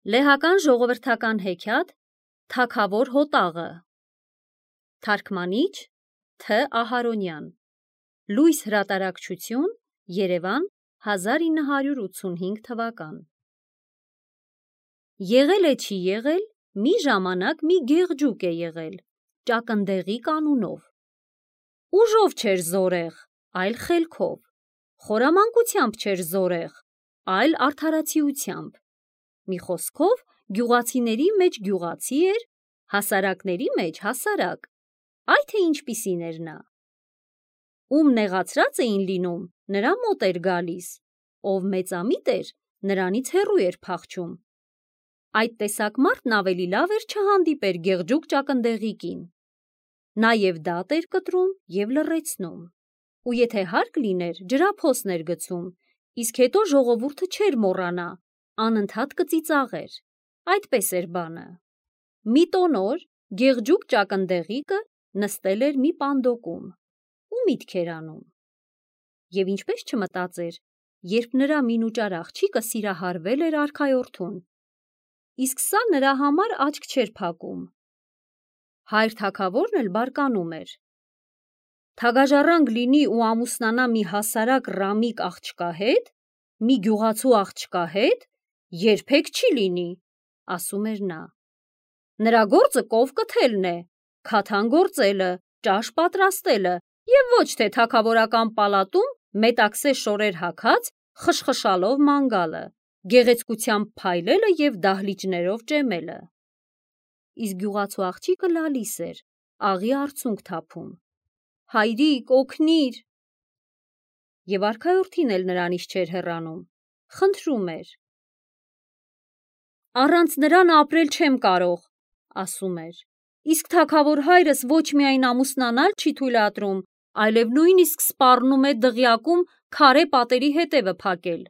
Լեհական ժողովրդական հեքիաթ Թագավոր հոտաղը Թարգմանիչ Თ. Ահարոնյան Լույս հրատարակչություն Երևան 1985 թվական Եղել է չի եղել, մի ժամանակ մի գեղջուկ է եղել, ճակնդեղիկ անունով։ Ուժով չէր զորեղ, այլ խելքով, խորամանկությամբ չէր զորեղ, այլ արդարացիությամբ։ Մի խոսքով գյուղացիների մեջ գյուղացի էր, հասարակների մեջ հասարակ, այ թե ինչպիսին էր նա։ Ում նեղացրած էին լինում, նրա մոտ էր գալիս, ով մեծամիտ էր, նրանից հեռու էր փախչում։ Այդ տեսակ մարդն ավելի լավ էր չհանդիպեր գեղջուկ ճակնդեղիկին։ Նա և դատ էր կտրում և լռեցնում, ու եթե հարկ լիներ, ջրափոս էր գցում, իսկ հետո ժողովուրդը չէր մոռանա, անընդհատ կծիծաղեր, այդպես էր բանը։ Մի տոնոր գեղջուկ ճակնդեղիկը նստել էր մի պանդոկում ու միտք էր անում։ Եվ ինչպես չմտածեր, երբ նրա մինուճար աղջիկը սիրահարվել էր արքայորդուն, իսկ սա նրա համար աչք չէր փակում։ Հայր թագավորն էլ բարկանում էր. թագաժառանգ լինի ու ամուսնանա մի հասարակ ռամիկ աղջկա հետ, մի գյուղացու աղջկա հետ, երբեք չի լինի, ասում էր նա։ Նրա գործը կով կթելն է, քաթան գործելը, ճաշ պատրաստելը և ոչ թե թագավորական պալատում մետաքսե շորեր հագած խշխշալով ման գալը, գեղեցկությամբ փայլելը և դահլիճներով ճեմելը։ Իսկ գյուղացու աղջիկը լալիս էր, աղի արցունք թափում. հայրիկ, օգնիր։ Եվ արքայորդին էլ նրանից չէր հեռանում, խնդրում էր. առանց նրան ապրել չեմ կարող, ասում էր, իսկ թագավոր հայրս ոչ միայն ամուսնանալ չի թույլատրում, այլև նույնիսկ սպառնում է դղյակում քարե պատերի հետևը փակել։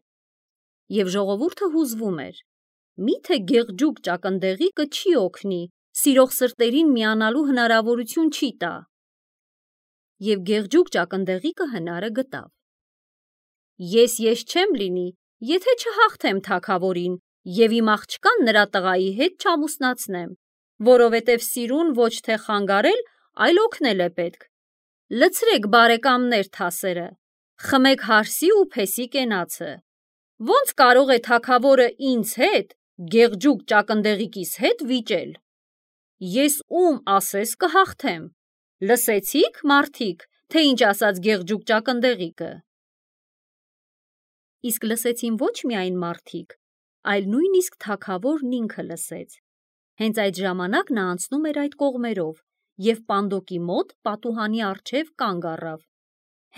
Եվ ժողովուրդը հուզվում էր. միթե գեղջուկ ճակնդեղիկը չի օգնի, սիրող սրտերին միանալու հնարավորություն չի տա։ Եվ գեղջուկ ճակնդեղիկը հնարը գտավ։ Ես չեմ լինի, եթե չհաղթեմ թագավորին և իմ աղջկան նրա տղայի հետ չամուսնացնեմ, որովհետև սիրուն ոչ թե խանգարել, այլ օգնել է պետք։ Լցրեք բարեկամներ թասերը, խմեք հարսի ու փեսի կենացը։ Ոնց կարող է թագավորը ինձ հետ, գեղջուկ ճակնդեղիկիս հետ վիճել։ Ես ում ասես կհաղթեմ։ Լսեցի՞ք, մարդիկ, թե ինչ ասաց գեղջուկ ճակնդեղիկը։ Իսկ լսեցին ոչ միայն մարդիկ, այլ նույնիսկ թագավորն ինքը լսեց։ Հենց այդ ժամանակ նա անցնում էր այդ կողմերով և պանդոկի մոտ պատուհանի առջև կանգ առավ։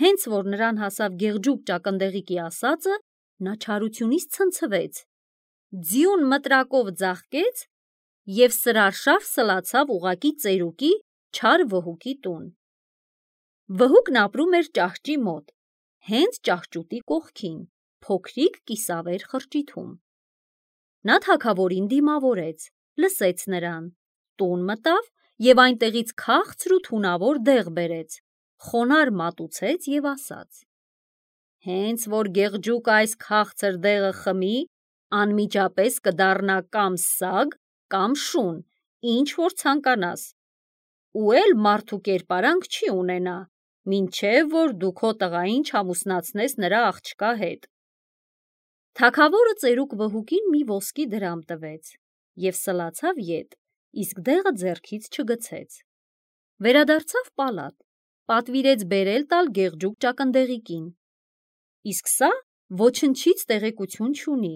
Հենց որ նրան հասավ գեղջուկ ճակնդեղիկի ասածը, նա չարությունից ցնցվեց, ձիուն մտրակով ձաղկեց և սրարշավ սլացավ ուղղակի ծերուկի չար վհուկի տուն։ Վհուկն ապրում էր ճահճի մոտ, հենց ճահճուտի կողքին, փոքրիկ կիսավեր խրճիթում։ Նա թագավորին դիմավորեց, լսեց նրան, տուն մտավ և այնտեղից քաղցր ու թունավոր դեղ բերեց, խոնարհ մատուցեց և ասաց. հենց որ գեղջուկը այս քաղցր դեղը խմի, անմիջապես կդառնա կամ սագ, կամ շուն, ինչ որ ցանկանաս, ու էլ մարդու կերպարանք չի ունենա, մինչև որ դու քո տղային չամուսնացնես նրա աղջկա հետ։ Թագավորը ծերուկ վհուկին մի ոսկի դրամ տվեց և սլացավ ետ, իսկ դեղը ձեռքից չգցեց։ Վերադարձավ պալատ, պատվիրեց բերել տալ գեղջուկ ճակնդեղիկին։ Իսկ սա ոչնչից տեղեկություն չունի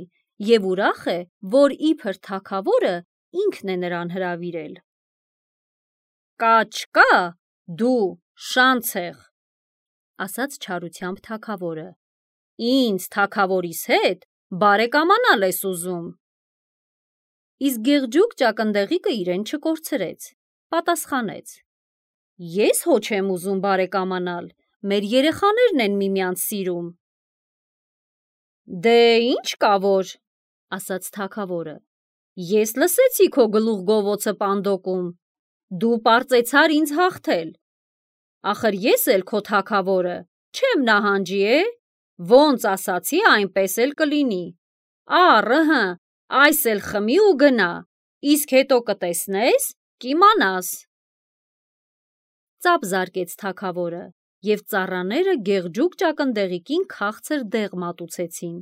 և ուրախ է, որ իբր թագավորը ինքն է նրան հրավիրել։ Կա, դու շանցեղ, ասաց չարությամբ թագավորը, ինձ թագավորիս հետ բարեկամանալ ես ուզում։ Իսկ գեղջուկ ճակնդեղիկը իրեն չկորցրեց, պատասխանեց. ես հո չեմ ուզում բարեկամանալ, մեր երեխաներն են միմյանց սիրում։ Դե ինչ կա որ, ասաց թագավորը, ես լսեցի քո գլուխգովոցը պանդոկում, դու պարծեցար ինձ հաղթել։ Ախր ես էլ քո թագավորը, չեմ նահանջի, ոնց ասացի, այնպես էլ կլինի։ Առ, Այս էլ խմի ու գնա, իսկ հետո կտեսնես, կիմանաս։ Ծափ զարկեց թագավորը, և ծառաները գեղջուկ ճակնդեղիկին քաղցր դեղ մատուցեցին,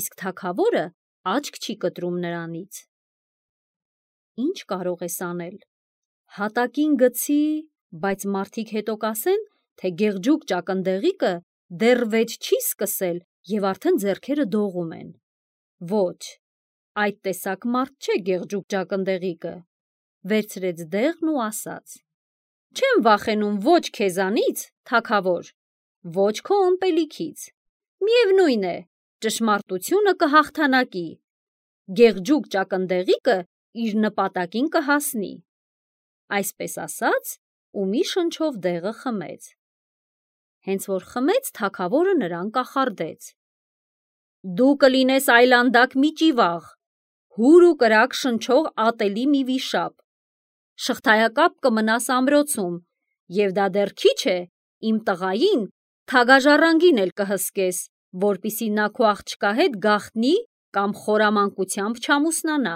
իսկ թագավորը աչք չի կտրում նրանից։ Ինչ կարող ես անել։ Հատակին գցի, բայց մարդիկ հետո կասեն, թե գեղջուկ ճակնդեղիկը դեռ վեճ չի սկսել և արդեն ձեռքերը դողում են։ Ոչ, այդ տեսակ մարդ չէ գեղջուկ ճակնդեղիկը, վերցրեց դեղն ու ասաց. Չեմ վախենում ոչ քեզանից, թագավոր, ոչ քո ըմպելիքից, միևնույն է, ճշմարտությունը կհաղթանակի, գեղջուկ ճակնդեղիկը իր նպատակին կհասնի։ Այսպես ասաց, ու մի շնչով դեղը խմեց։ Հենց որ խմեց, թագավորը նրան կախարդեց. Դու կլինես այլանդակ մի ճիվաղ, հուր ու կրակ շնչող ատելի մի վիշապ, շղթայակապ կմնաս ամրոցում, և դա դեռ քիչ է, իմ տղային թագաժառանգին էլ կհսկես, որպիսի նա քո աղջկա հետ գաղտնի կամ խորամանկությամբ չամուսնանա,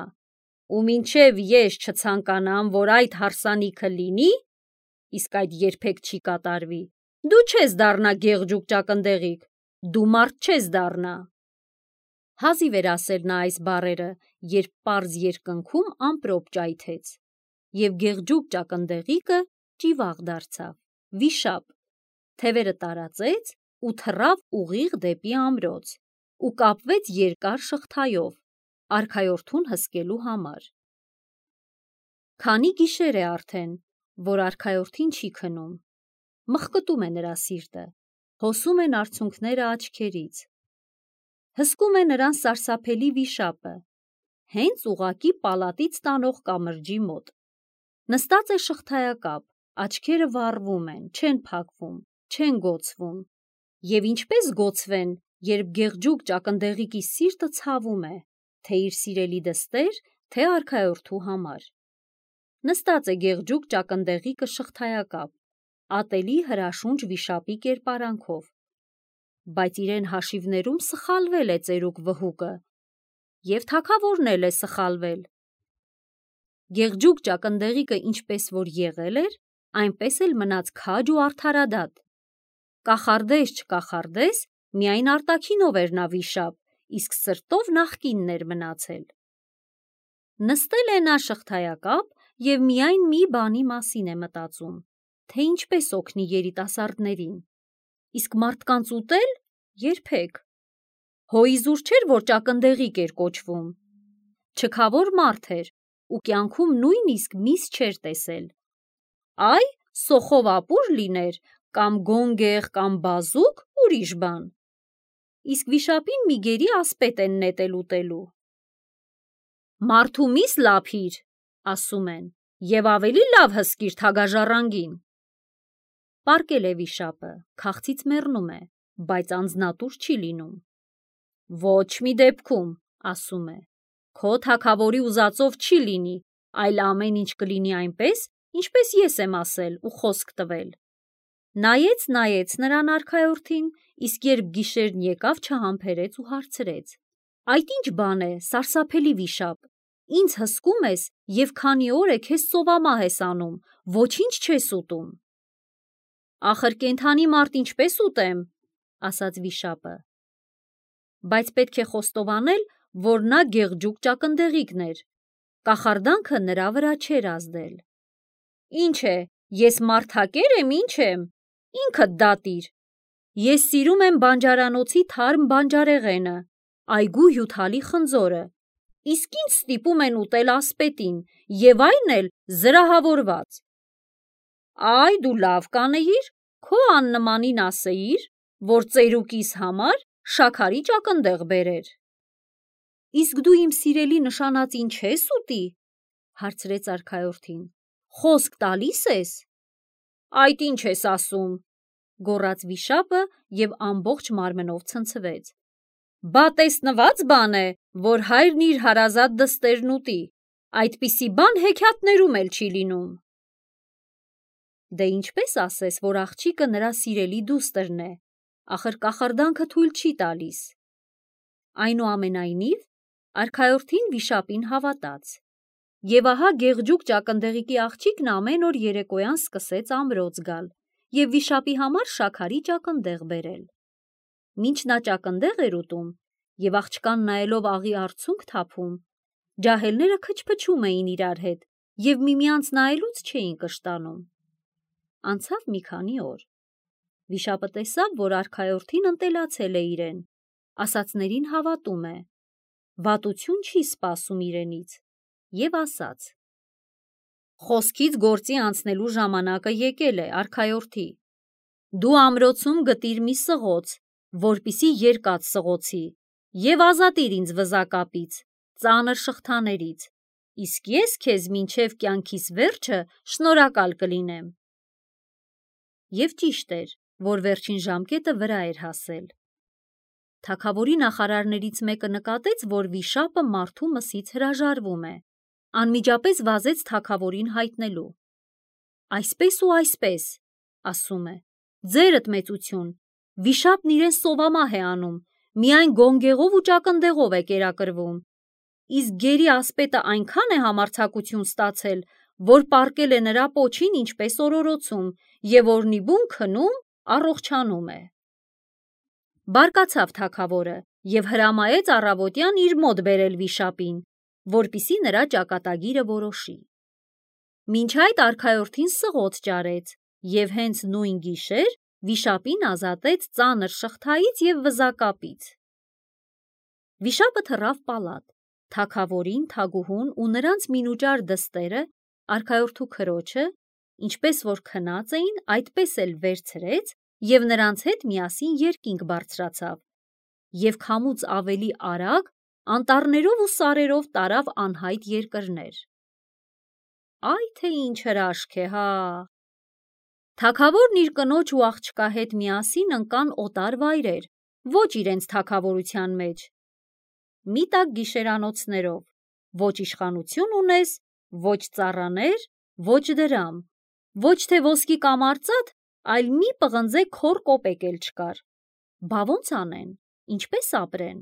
ու մինչև ես չցանկանամ, որ այդ հարսանիքը լինի, իսկ այդ երբեք չի կատարվի, դու չես դառնա գեղջուկ ճակնդեղիկ, դու մարդ չես դառնա։ Հազիվ էր ասել նա այս բառերը, երբ պարզ երկնքում ամպրոպ ճայթեց, և գեղջուկ ճակնդեղիկը ճիվաղ դարձավ, վիշապ, թևերը տարածեց ու թռավ ուղիղ դեպի ամրոց ու կապվեց երկար շղթայով, արքայորդուն հսկելու համար։ Քանի գիշեր է արդեն, որ արքայորդին չի քնում, մխկտում է նրա սիրտը, հոսում են արցունքները աչքերից, հսկում է նրան սարսափելի վիշապը, հենց ուղղակի պալատից տանող կամրջի մոտ։ Նստած է շղթայակապ, աչքերը վառվում են, չեն փակվում, չեն գոցվում, և ինչպես գոցվեն, երբ գեղջուկ ճակնդեղիկի սիրտը ցավում է, թե իր սիրելի դստեր, թե արքայորդու համար։ Նստած է գեղջուկ ճակնդեղիկը շղթայակապ, ատելի հրաշունչ վիշապի կերպարանքով, բայց իրեն հաշիվներում սխալվել է ծերուկ վհուկը, և թագավորն էլ է սխալվել։ Գեղջուկ ճակնդեղիկը ինչպես որ եղել էր, այնպես էլ մնաց քաջ ու արդարադատ։ Կախարդես չկախարդես, միայն արտաքինով էր նա վիշապ, իսկ սրտով նախկինն էր մնացել։ Նստել է նա շղթայակապ և միայն մի բանի մասին է մտածում, թե ինչպես օգնի երիտասարդներին, իսկ մարդկանց ուտել երբեք։ Հոիզուր չէր, որ ճակնդեղիկ էր կոչվում, չքավոր մարդ էր ու կյանքում նույնիսկ միս չէր տեսել։ Այ սոխով ապուր լիներ, կամ գոնգեղ, կամ բազուկ, ուրիշ բան։ Իսկ վիշապին մի գերի ասպետ են նետել ուտելու։ Մարդու միս լափիր, ասում են, և ավելի լավ հսկիր թագաժառանգին։ Պառկել է վիշապը, քաղցից մեռնում է, բայց անձնատուր չի լինում։ Ոչ մի դեպքում, ասում է, քո թագավորի ուզածով չի լինի, այլ ամեն ինչ կլինի այնպես, ինչպես ես եմ ասել ու խոսք տվել։ Նայեց նրան արքայորդին, իսկ երբ գիշերն եկավ, չհամբերեց ու հարցրեց. Այդ ինչ բան է, սարսափելի վիշապ, ինձ հսկում ես և քանի օր է քեզ սովամահ ես անում, ոչինչ չես ուտում։ Ախր կենդանի մարդ ինչպես ուտեմ, ասաց վիշապը։ Բայց պետք է խոստովանել, որ նա գեղջուկ ճակնդեղիկն էր, կախարդանքը նրա վրա չէր ազդել։ Ինչ է, ես մարդակեր եմ, ինչ եմ, ինքդ դատիր։ Ես սիրում եմ բանջարանոցի թարմ բանջարեղենը, այգու հյութալի խնձորը, իսկ ինձ ստիպում են ուտել ասպետին, և այն էլ զրահավորված։ Այ դու լավ կանեիր, քո աննմանին ասեիր, որ ծերուկիս համար շաքարի ճակնդեղ բերեր։ Իսկ դու իմ սիրելի նշանածին չես ուտի, հարցրեց արքայորդին, խոսք տալի՞ս ես։ Այդ ինչ ես ասում, գոռաց վիշապը և ամբողջ մարմնով ցնցվեց։ Բա տեսնված բան է, որ հայրն իր հարազատ դստերն ուտի, այդպիսի բան հեքիաթներում էլ չի լինում։ Դե ինչպես ասես, որ աղջիկը նրա սիրելի դուստրն է, ախր կախարդանքը թույլ չի տալիս։ Այնուամենայնիվ, Արքայորդին վիշապին հավատաց։ Եվ ահա գեղջուկ ճակնդեղիկի աղջիկն ամեն օր երեկոյան սկսեց ամրոց գալ և վիշապի համար շաքարի ճակնդեղ բերել։ Մինչ նա ճակնդեղ էր ուտում և աղջկան նայելով աղի արցունք թափում, ջահելները քչփչում էին իրար հետ և միմյանց նայելուց չէին կշտանում։ Անցավ մի քանի օր։ Վիշապը տեսավ, որ արքայորդին ընտելացել է իրեն, ասածներին հավատում է, վատություն չի սպասում իրենից և ասաց. «Խոսքից գործի անցնելու ժամանակը եկել է, արքայորդի, դու ամրոցում գտիր մի սղոց, որպեսզի երկաթ սղոցի, և ազատիր ինձ վզակապից, ծանր շղթաներից, իսկ ես քեզ մինչև կյանքիս վերջը շնորհակալ կլինեմ»։ Եվ ճիշտ էր, որ վերջին ժամկետը վրա էր հասել։ Թագավորի նախարարներից մեկը նկատեց, որ վիշապը մարդու մսից հրաժարվում է, անմիջապես վազեց թագավորին հայտնելու։ «Այսպես ու այսպես, ասում է, ձերդ մեծություն, վիշապն իրեն սովամահ է անում, միայն գոնգեղով ու ճակնդեղով է կերակրվում, իսկ գերի ասպետը այնքան է համարձակություն ստացել, որ պառկել է նրա պոչին ինչպես օրորոցում և օրնի բուն քնում, առողջանում է»։ Բարկացավ թագավորը և հրամայեց առավոտյան իր մոտ բերել վիշապին, որպեսզի նրա ճակատագիրը որոշի։ Մինչ այդ արքայորդին սղոց ճարեց և հենց նույն գիշեր վիշապին ազատեց ծանր շղթայից և վզակապից։ Վիշապը թռավ պալատ, թագավորին, թագուհուն ու նրանց մինուճար դստերը արքայորդու քրոջը, ինչպես որ քնած էին, այդպես էլ վերցրեց և նրանց հետ միասին երկինք բարձրացավ և քամուց ավելի արագ անտառներով ու սարերով տարավ անհայտ երկրներ։ Այ թե ինչ հրաշք է, հա։ Թագավորն իր կնոջ ու աղջկա հետ միասին ընկան օտար վայրեր, ոչ իրենց թագավորության մեջ։ Մի տակ գիշերանոցներով, ոչ իշխանություն ունես, ոչ ծառաներ, ոչ դրամ, ոչ թե ոսկի կամ արծաթ, այլ մի պղնձե քոռ կոպեկ էլ չկար։ Բա ո՞նց անեն, ինչպե՞ս ապրեն։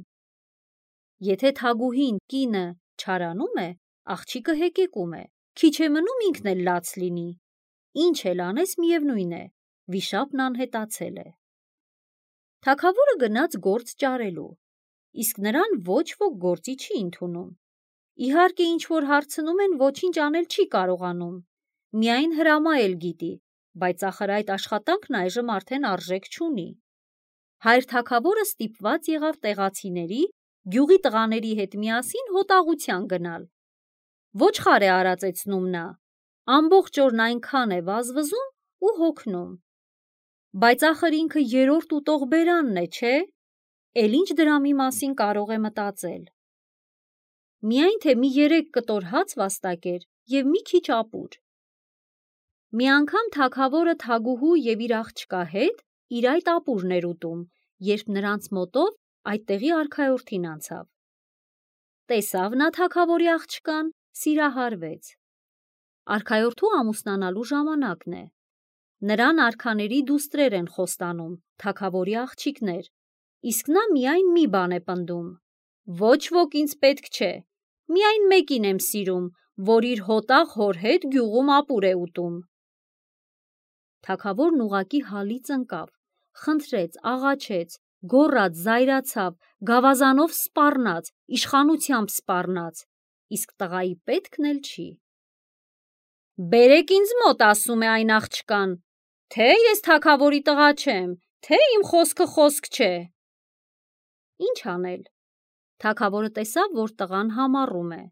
Եթե թագուհին կինը չարանում է, աղջիկը հեկեկում է, քիչ է մնում ինքն էլ լաց լինի։ Ինչ էլ անես, միևնույն է, վիշապն անհետացել է։ Թագավորը գնաց գործ ճարելու, իսկ նրան ոչ ոք գործի չի ընդունում։ Իհարկե, ինչ որ հարցնում են, ոչինչ անել չի կարողանում, միայն հրամայել գիտի, բայց ախր այդ աշխատանքն այժմ արդեն արժեք չունի։ Հայր թագավորը ստիպված եղավ տեղացիների, գյուղի տղաների հետ միասին հոտաղության գնալ։ Ոչխար է արածեցնում նա, ամբողջ օրն այնքան է վազվզում ու հոգնում։ Բայց ախր ինքը երրորդ ուտող բերանն է, չէ՞, էլ ինչ դրամի մասին կարող է մտածել։ Միայն թե մի 3 կտոր հաց վաստակեր և մի քիչ ապուր։ Մի անգամ թագավորը թագուհու և իր աղջկա հետ իր այդ ապուրն էր ուտում, երբ նրանց մոտով այդտեղի արքայորդին անցավ։ Տեսավ նա թագավորի աղջկան, սիրահարվեց։ Արքայորդու ամուսնանալու ժամանակն է։ Նրան արքաների դուստրեր են խոստանում, թագավորի աղջիկներ, իսկ նա միայն մի բան է պնդում. ոչ ոք ինձ պետք չէ, միայն մեկին եմ սիրում, որ իր հոտաղ հոր հետ գյուղում ապուր է ուտում։ Թագավորն ուղղակի հալից ընկավ, խնդրեց, աղաչեց, գոռաց, զայրացավ, գավազանով սպառնաց, իշխանությամբ սպառնաց, իսկ տղայի պետքն էլ չի։ «Բերեք ինձ մոտ, ասում է այն աղջկան, թե ես թագավորի տղա չեմ, թե իմ խոսքը խոսք չէ»։ Ինչ անել։ Թագավորը տեսավ, որ տղան համառում է։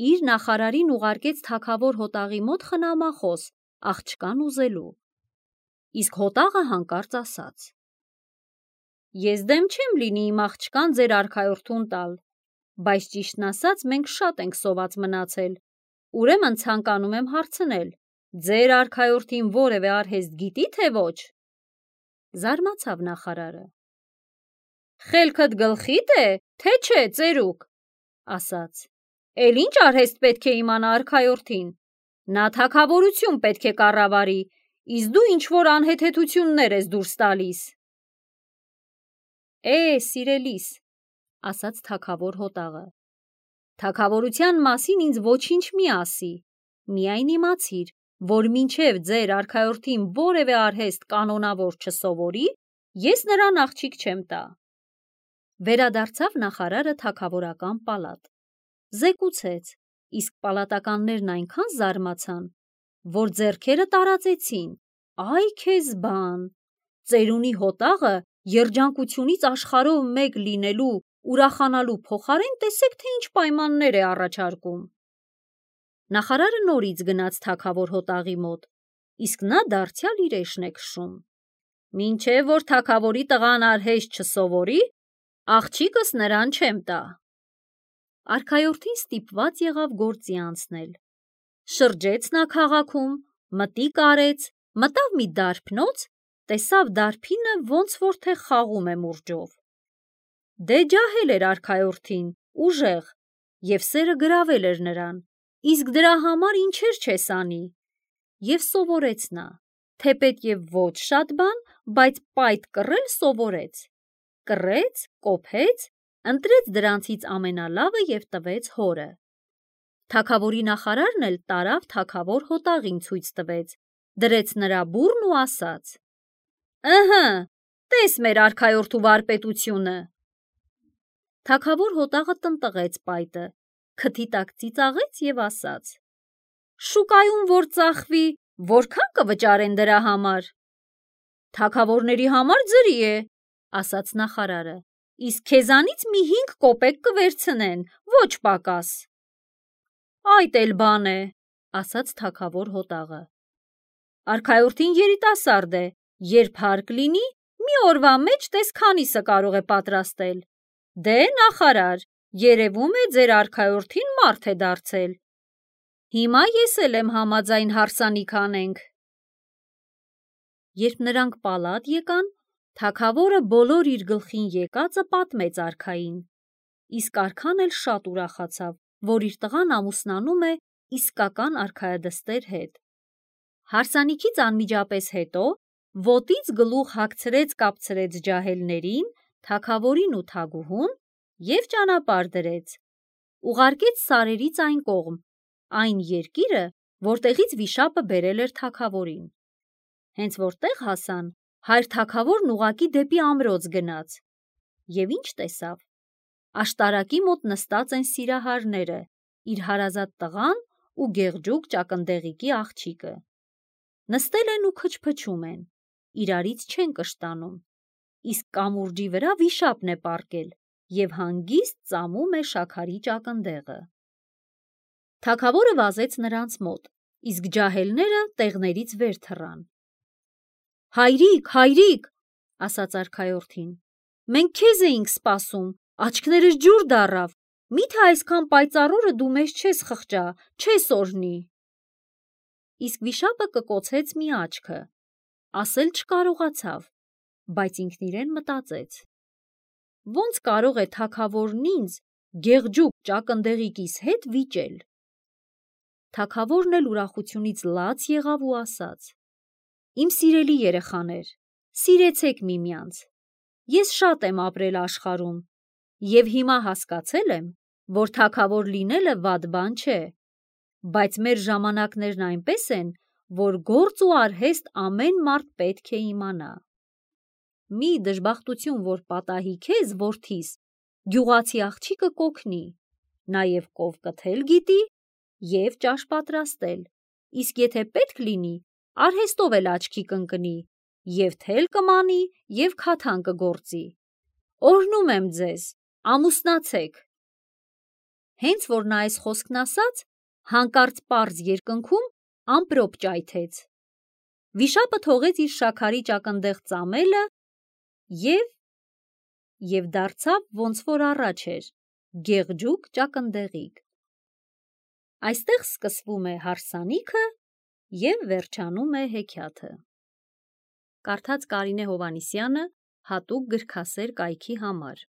Իր նախարարին ուղարկեց թագավոր հոտաղի մոտ խնամախոս, աղջկան ուզելու։ Իսկ հոտաղը հանկարծ ասաց. «Ես դեմ չեմ լինի իմ աղջկան ձեր արքայորդուն տալ, բայց ճիշտն ասած մենք շատ ենք սոված մնացել, ուրեմն ցանկանում եմ հարցնել, ձեր արքայորդին որևէ արհեստ գիտի, թե ոչ»։ Զարմացավ նախարարը։ «Խելքդ գլխի՞դ է, թե չէ, ծերուկ», ասաց։ «Էլ ինչ արհեստ պետք է իմանա արքայորդին, նա թագավորություն պետք է կառավարի, իսկ դու ինչ-որ անհեթեթություններ ես դուրս տալիս»։ Սիրելիս, ասաց թագավոր հոտաղը, Թագավորության մասին ինձ ոչինչ մի ասի, միայն իմացիր, որ մինչև ձեր արքայորդին որևէ արհեստ կանոնավոր չսովորի, ես նրան աղջիկ չեմ տա։ Վերադարձավ նախարարը թագավորական պալատ, զեկուցեց, իսկ պալատականներն այնքան զարմացան, որ ձեռքերը տարածեցին, այ քեզ բան, ծերունի հոտաղը երջանկությունից աշխարհով մեկ լինելու ուրախանալու փոխարեն տեսեք, թե ինչ պայմաններ է առաջարկում։ Նախարարը նորից գնաց թագավոր հոտաղի մոտ, իսկ նա դարձյալ իր էշն է քշում։ Մինչև որ թագավորի տղան արհեստ չսովորի, աղջիկս նրան չեմ տա։ Արքայորդին ստիպված եղավ գործի անցնել։ Շրջեց նա քաղաքում, մտիկ արեց, մտավ մի դարբնոց, տեսավ դարբինը ոնց որ թե խաղում է մուրճով։ Դե ջահել էր արքայորդին, ուժեղ, և սերը գրավել էր նրան, իսկ դրա համար ինչեր չես անի։ Եվ սովորեց նա, թեպետև ոչ շատ բան, բայց պայթ կռել սովորեց։ Կռեց, կոփեց, ընտրեց դրանցից ամենալավը և տվեց հորը։ Թագավորի նախարարն էլ տարավ թագավոր հոտաղին ցույց տվեց, դրեց նրա բուրն ու ասաց. «Ըհը, տես մեր արքայորդու վարպետությունը»։ Թագավոր հոտաղը տնտղեց պայտը, քթի տակ ծիծաղեց և ասաց. «Շուկայում որ ծախվի, որքան կվճարեն դրա համար»։ «Թագավորների համար ձրի է», ասաց նախարարը, «իսկ քեզանից մի 5 կոպեկ կվերցնեն, ոչ պակաս»։ «Այդ էլ բան է», ասաց թագավոր հոտաղը։ «Արքայորդին երիտասարդ է, երբ հարկ լինի, մի օրվա մեջ տես քանիսը կարող է պատրաստել։ Դե, նախարար, երևում է ձեր արքայորդին մարդ է դարձել։ Հիմա ես էլ եմ համաձայն հարսանիք անենք»։ Երբ նրանք պալատ եկան, թագավորը բոլոր իր գլխին եկածը պատմեց արքային, իսկ արքան էլ շատ ուրախացավ, որ իր տղան ամուսնանում է իսկական արքայադստեր հետ։ Հարսանիքից անմիջապես հետո ոտից գլուխ հագցրեց ջահելներին, թագավորին ու թագուհուն և ճանապարհ դրեց, ուղարկեց սարերից այն կողմ, այն երկիրը, որտեղից վիշապը բերել էր թագավորին։ Հենց որ տեղ հասան, հայր թագավորն ուղղակի դեպի ամրոց գնաց։ Եվ ինչ տեսավ։ Աշտարակի մոտ նստած են սիրահարները, իր հարազատ տղան ու գեղջուկ ճակնդեղիկի աղջիկը։ Նստել են ու քչփչում են, իրարից չեն կշտանում, իսկ կամուրջի վրա վիշապն է պառկել և հանգիստ ծամում է շաքարի ճակնդեղը։ Թագավորը վազեց նրանց մոտ, իսկ ջահելները տեղներից վեր թռան։ «Հայրիկ, հայրիկ», ասաց արքայորդին, «մենք քեզ էինք սպասում, աչքներս ջուր դառավ, միթե այսքան պայծառ օրը դու մեզ չես խղճա, չես օրհնի»։ Իսկ վիշապը կկոցեց մի աչքը, ասել չկարողացավ, բայց ինքն իրեն մտածեց. ոնց կարող է թագավորն ինձ գեղջուկ ճակնդեղիկիս հետ վիճել։ Թագավորն էլ ուրախությունից լաց եղավ ու ասաց. «Իմ սիրելի երեխաներ, սիրեցեք միմյանց։ Ես շատ եմ ապրել աշխարհում և հիմա հասկացել եմ, որ թագավոր լինելը վատ բան չէ, բայց մեր ժամանակներն այնպես են, որ գործ ու արհեստ ամեն մարդ պետք է իմանա։ Մի դժբախտություն որ պատահի քեզ, որդիս, գյուղացի աղջիկը կօգնի, նաև կով կթել գիտի և ճաշ պատրաստել, իսկ եթե պետք լինի, արհեստով էլ աչքի կընկնի, և թել կմանի, և քաթան կգործի։ Օրհնում եմ ձեզ, ամուսնացեք»։ Հենց որ նա այս խոսքն ասաց, հանկարծ պարզ երկնքում ամպրոպ ճայթեց։ Վիշապը թողեց իր շաքարի ճակնդեղ ծամելը և դարձավ ոնց որ առաջ էր, գեղջուկ ճակնդեղիկ։ Այստեղ սկսվում է հարսանիքը և վերջանում է հեքիաթը։ Կարդաց Կարինե Հովհաննիսյանը, հատուկ գրքասեր կայքի համար։